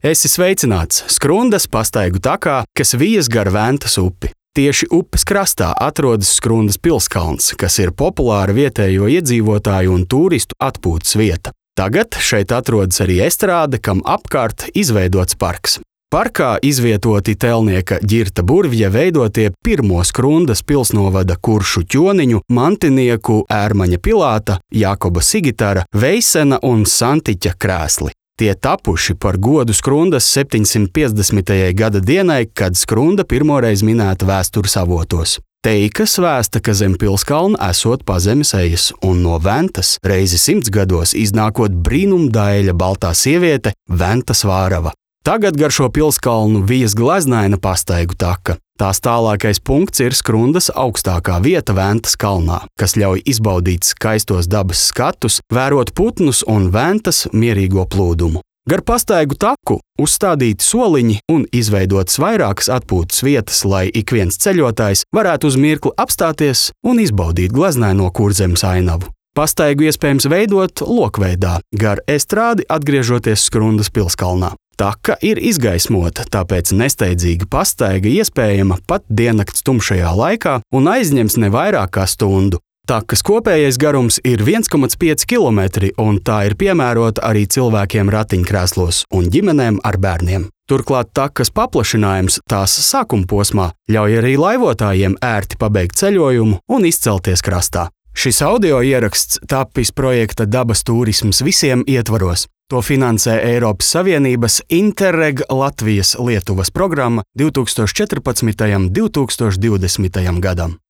Esi sveicināts Skrundas pastaigu takā, kas vijas gar Ventas upi. Tieši upes krastā atrodas Skrundas pilskalns, kas ir populāra vietējo iedzīvotāju un turistu atpūtas vieta. Tagad šeit atrodas arī estrāde, kam apkārt izveidots parks. Parkā izvietoti Telnieka Ģirta Burvja veidotie pirmo Skrundas pilsnovada kuršu ķoniņu, mantinieku Ērmaņa Pilāta, Jākoba Sigitara, Veisena un Santiķa krēsli. Tie tapuši par godu Skrundas 750. gada dienai, kad Skrunda pirmoreiz minēta vēstures avotos. Teikas vēsta, ka zem pilskalna esot pazemes ejas, un no Ventas reizi 100 gados iznākot brīnumdaļa baltā sieviete Ventas Vārava. Tagad gar šo pilskalnu vijas gleznaina pastaigu taka. Tās tālākais punkts ir Skrundas augstākā vieta Ventas kalnā, kas ļauj izbaudīt skaistos dabas skatus, vērot putnus un Ventas mierīgo plūdumu. Gar pastaigu taku uzstādīti soliņi un izveidotas vairākas atpūtas vietas, lai ik viens ceļotājs varētu uz mirkli apstāties un izbaudīt gleznaino Kurzemes ainavu. Pastaigu iespējams veidot lokveidā, gar estrādi atgriežoties Skrundas pilskalnā. Taka ir izgaismota, tāpēc nesteidzīga pastaiga iespējama pat diennakts tumšajā laikā un aizņems ne vairāk kā stundu. Takas kopējais garums ir 1,5 km, un tā ir piemērota arī cilvēkiem ratiņkrēslos un ģimenēm ar bērniem. Turklāt takas paplašinājums tās sākuma posmā ļauj arī laivotājiem ērti pabeigt ceļojumu un izcelties krastā. Šis audio ieraksts tapis projekta Dabas turisms visiem ietvaros. To finansē Eiropas Savienības Interreg Latvijas-Lietuvas programma 2014. un 2020. gadam.